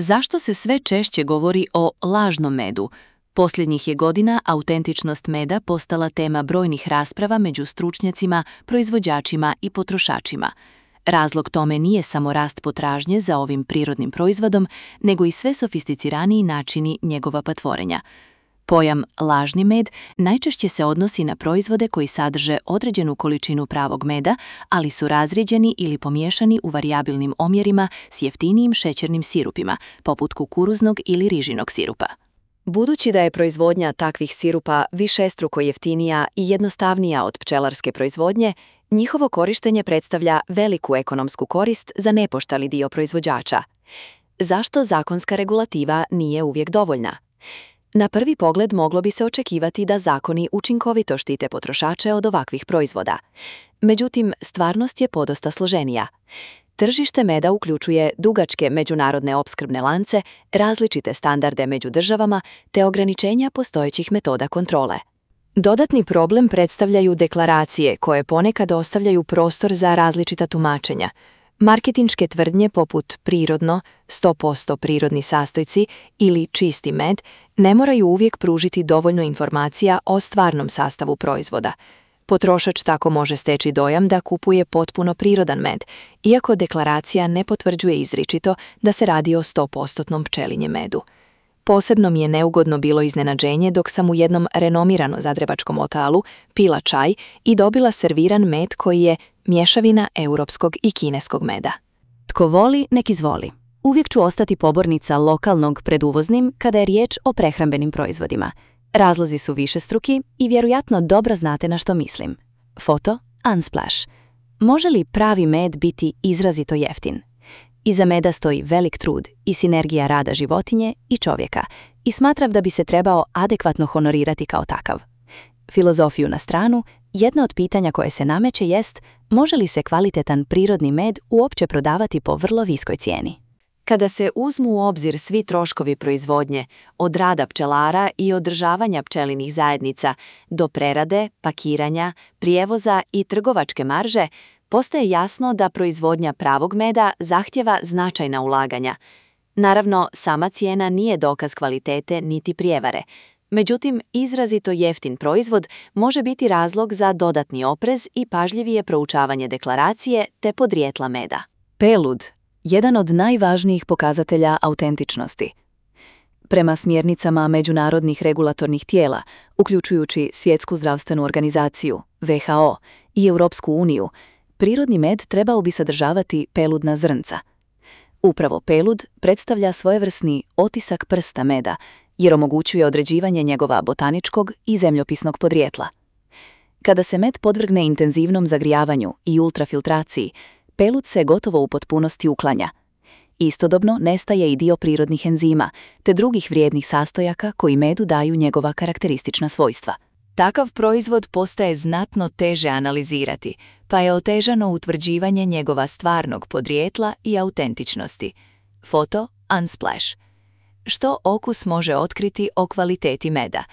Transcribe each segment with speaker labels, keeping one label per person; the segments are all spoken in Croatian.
Speaker 1: Zašto se sve češće govori o lažnom medu? Posljednjih je godina autentičnost meda postala tema brojnih rasprava među stručnjacima, proizvođačima i potrošačima. Razlog tome nije samo rast potražnje za ovim prirodnim proizvodom, nego i sve sofisticiraniji načini njegova patvorenja. Pojam lažni med najčešće se odnosi na proizvode koji sadrže određenu količinu pravog meda, ali su razrijeđeni ili pomiješani u varijabilnim omjerima s jeftinijim šećernim sirupima, poput kukuruznog ili rižinog sirupa.
Speaker 2: Budući da je proizvodnja takvih sirupa višestruko jeftinija i jednostavnija od pčelarske proizvodnje, njihovo korištenje predstavlja veliku ekonomsku korist za nepoštali dio proizvođača. Zašto zakonska regulativa nije uvijek dovoljna? Na prvi pogled moglo bi se očekivati da zakoni učinkovito štite potrošače od ovakvih proizvoda. Međutim, stvarnost je podosta složenija. Tržište meda uključuje dugačke međunarodne opskrbne lance, različite standarde među državama te ograničenja postojećih metoda kontrole. Dodatni problem predstavljaju deklaracije koje ponekad ostavljaju prostor za različita tumačenja. Marketinške tvrdnje poput prirodno, 100% prirodni sastojci ili čisti med ne moraju uvijek pružiti dovoljno informacija o stvarnom sastavu proizvoda. Potrošač tako može steći dojam da kupuje potpuno prirodan med, iako deklaracija ne potvrđuje izričito da se radi o 100% pčelinjem medu. Posebno mi je neugodno bilo iznenađenje dok sam u jednom renomirano zagrebačkom lokalu pila čaj i dobila serviran med koji je mješavina europskog i kineskog meda.
Speaker 3: Tko voli, nek izvoli. Uvijek ću ostati pobornica lokalnog pred uvoznim kada je riječ o prehrambenim proizvodima. Razlozi su višestruki i vjerojatno dobro znate na što mislim. Foto Unsplash. Može li pravi med biti izrazito jeftin? Iza meda stoji velik trud i sinergija rada životinje i čovjeka i smatram da bi se trebao adekvatno honorirati kao takav. Filozofiju na stranu, jedno od pitanja koje se nameće jest može li se kvalitetan prirodni med uopće prodavati po vrlo viskoj cijeni.
Speaker 2: Kada se uzmu u obzir svi troškovi proizvodnje, od rada pčelara i održavanja pčelinih zajednica do prerade, pakiranja, prijevoza i trgovačke marže, postaje jasno da proizvodnja pravog meda zahtjeva značajna ulaganja. Naravno, sama cijena nije dokaz kvalitete niti prijevare. Međutim, izrazito jeftin proizvod može biti razlog za dodatni oprez i pažljivije proučavanje deklaracije te podrijetla meda.
Speaker 3: Pelud, jedan od najvažnijih pokazatelja autentičnosti. Prema smjernicama međunarodnih regulatornih tijela, uključujući Svjetsku zdravstvenu organizaciju, WHO i Europsku uniju, prirodni med trebao bi sadržavati peludna zrnca. Upravo pelud predstavlja svojevrsni otisak prsta meda, jer omogućuje određivanje njegova botaničkog i zemljopisnog podrijetla. Kada se med podvrgne intenzivnom zagrijavanju i ultrafiltraciji, pelud se gotovo u potpunosti uklanja. Istodobno nestaje i dio prirodnih enzima, te drugih vrijednih sastojaka koji medu daju njegova karakteristična svojstva.
Speaker 2: Takav proizvod postaje znatno teže analizirati, pa je otežano utvrđivanje njegova stvarnog podrijetla i autentičnosti. Foto Unsplash. Što okus može otkriti o kvaliteti meda?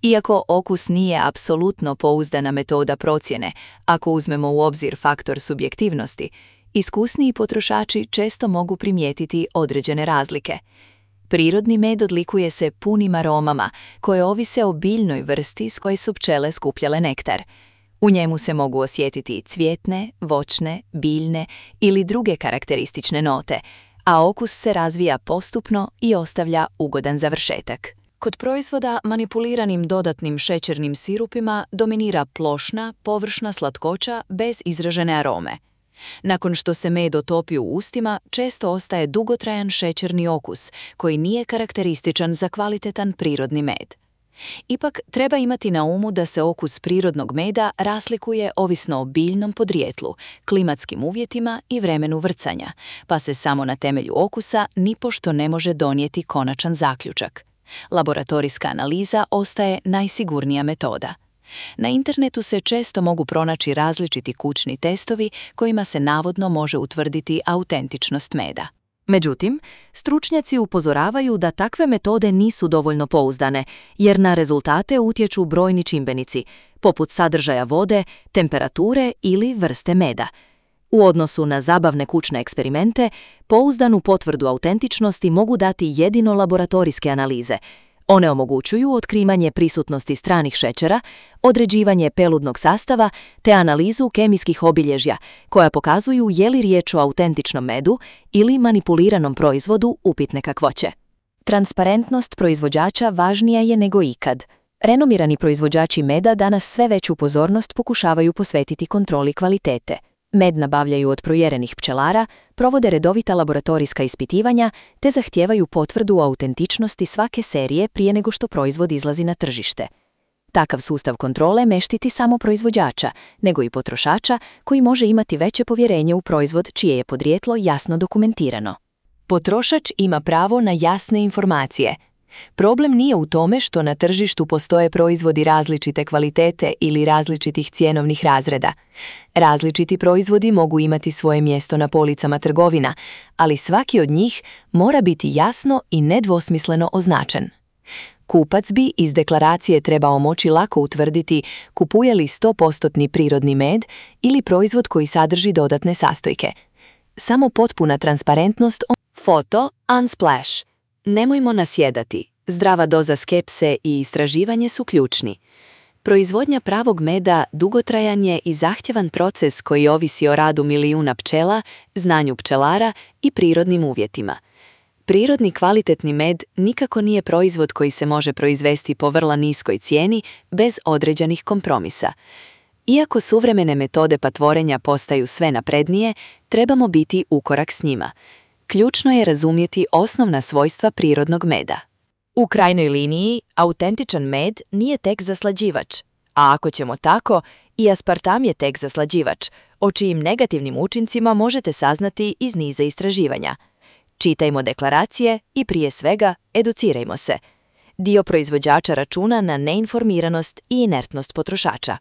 Speaker 2: Iako okus nije apsolutno pouzdana metoda procjene, ako uzmemo u obzir faktor subjektivnosti, iskusniji potrošači često mogu primijetiti određene razlike. Prirodni med odlikuje se punim aromama koje ovise o biljnoj vrsti s koje su pčele skupljale nektar. U njemu se mogu osjetiti cvjetne, voćne, biljne ili druge karakteristične note, a okus se razvija postupno i ostavlja ugodan završetak.
Speaker 1: Kod proizvoda manipuliranim dodatnim šećernim sirupima dominira plošna, površna slatkoća bez izražene arome. Nakon što se med otopi u ustima, često ostaje dugotrajan šećerni okus, koji nije karakterističan za kvalitetan prirodni med. Ipak, treba imati na umu da se okus prirodnog meda razlikuje ovisno o biljnom podrijetlu, klimatskim uvjetima i vremenu vrcanja, pa se samo na temelju okusa nipošto ne može donijeti konačan zaključak. Laboratorijska analiza ostaje najsigurnija metoda. Na internetu se često mogu pronaći različiti kućni testovi kojima se navodno može utvrditi autentičnost meda.
Speaker 3: Međutim, stručnjaci upozoravaju da takve metode nisu dovoljno pouzdane, jer na rezultate utječu brojni čimbenici, poput sadržaja vode, temperature ili vrste meda. U odnosu na zabavne kućne eksperimente, pouzdanu potvrdu autentičnosti mogu dati jedino laboratorijske analize. One omogućuju otkrivanje prisutnosti stranih šećera, određivanje peludnog sastava te analizu kemijskih obilježja koja pokazuju je li riječ o autentičnom medu ili manipuliranom proizvodu upitne kakvoće.
Speaker 2: Transparentnost proizvođača važnija je nego ikad. Renomirani proizvođači meda danas sve veću pozornost pokušavaju posvetiti kontroli kvalitete. Med nabavljaju od provjerenih pčelara, provode redovita laboratorijska ispitivanja te zahtijevaju potvrdu o autentičnosti svake serije prije nego što proizvod izlazi na tržište. Takav sustav kontrole ne štiti samo proizvođača, nego i potrošača koji može imati veće povjerenje u proizvod čije je podrijetlo jasno dokumentirano.
Speaker 1: Potrošač ima pravo na jasne informacije. Problem nije u tome što na tržištu postoje proizvodi različite kvalitete ili različitih cjenovnih razreda. Različiti proizvodi mogu imati svoje mjesto na policama trgovina, ali svaki od njih mora biti jasno i nedvosmisleno označen. Kupac bi iz deklaracije trebao moći lako utvrditi kupuje li 100% prirodni med ili proizvod koji sadrži dodatne sastojke. Samo potpuna transparentnost.
Speaker 2: Foto Unsplash. Nemojmo nasjedati. Zdrava doza skepse i istraživanje su ključni. Proizvodnja pravog meda dugotrajan je i zahtjevan proces koji ovisi o radu milijuna pčela, znanju pčelara i prirodnim uvjetima. Prirodni kvalitetni med nikako nije proizvod koji se može proizvesti po vrlo niskoj cijeni bez određenih kompromisa. Iako suvremene metode patvorenja postaju sve naprednije, trebamo biti ukorak s njima. Ključno je razumjeti osnovna svojstva prirodnog meda.
Speaker 3: U krajnjoj liniji, autentičan med nije tek zaslađivač, a ako ćemo tako, i aspartam je tek zaslađivač, o čijim negativnim učincima možete saznati iz niza istraživanja. Čitajmo deklaracije i prije svega educirajmo se. Dio proizvođača računa na neinformiranost i inertnost potrošača.